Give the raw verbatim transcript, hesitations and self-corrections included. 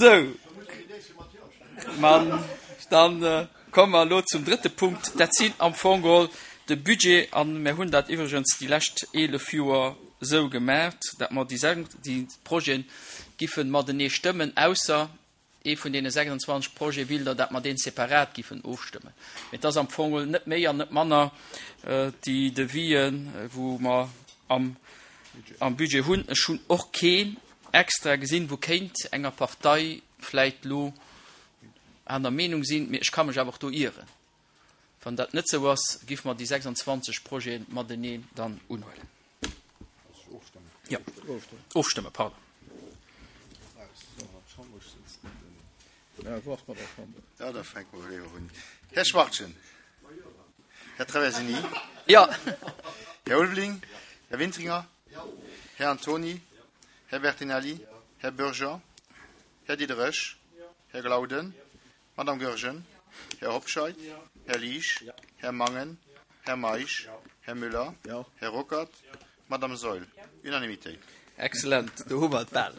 Sou, ma dann komme mer elo zum drëtte Punkt. Dat sinn am Fong geholl de Budget, a mir hunn dat iwwregens déi lescht eelef Joer esou gemaach, dat mer déi déi Projete giffe matenee stëmmen, ausser ee vun deene sechsundzwanzeg Projete willt Der, dat mer dee separat giffen ofstëmmen. Mee et ass am Fong geholl net méi an net manner déi Devisen, wou mer am am Budget hunn. Ech hunn och keen extra gesinn, wou kéint enger Partei vläit lo aner Meenung sinn, mee ech ka mech awer och do ieren. Wann dat net sou ass, giff mer déi sechsundzwanzeg Projeten mateneen dann unhuelen. Jo, ofstëmmen, pardon. Ja, da fänke mer léiwer un. Här Schwachtgen. Här Traversini. Jo. Här Ulveling. Här Wintringer. Här Antony. Här Bertinelli. Här Bürger. Här Diderich. Här Glauden. Madame Goergen. Här Hobscheit. Här Liesch. Här Mangen. Här Meisch. Här Müller. Här Ruckert. Madame Saeul. Unanimitéit. Excellent, do hu mer et bal.